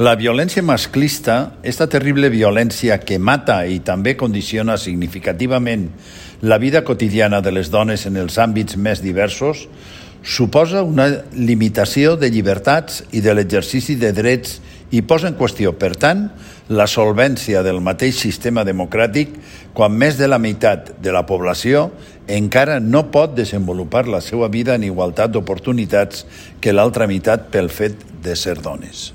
La violència masclista, esta terrible violència que mata i també condiciona significativament la vida quotidiana de les dones en els àmbits més diversos, suposa una limitació de llibertats i de l'exercici de drets i posa en qüestió, per tant, la solvència del mateix sistema democràtic quan més de la meitat de la població encara no pot desenvolupar la seva vida en igualtat d'oportunitats que l'altra meitat pel fet de ser dones.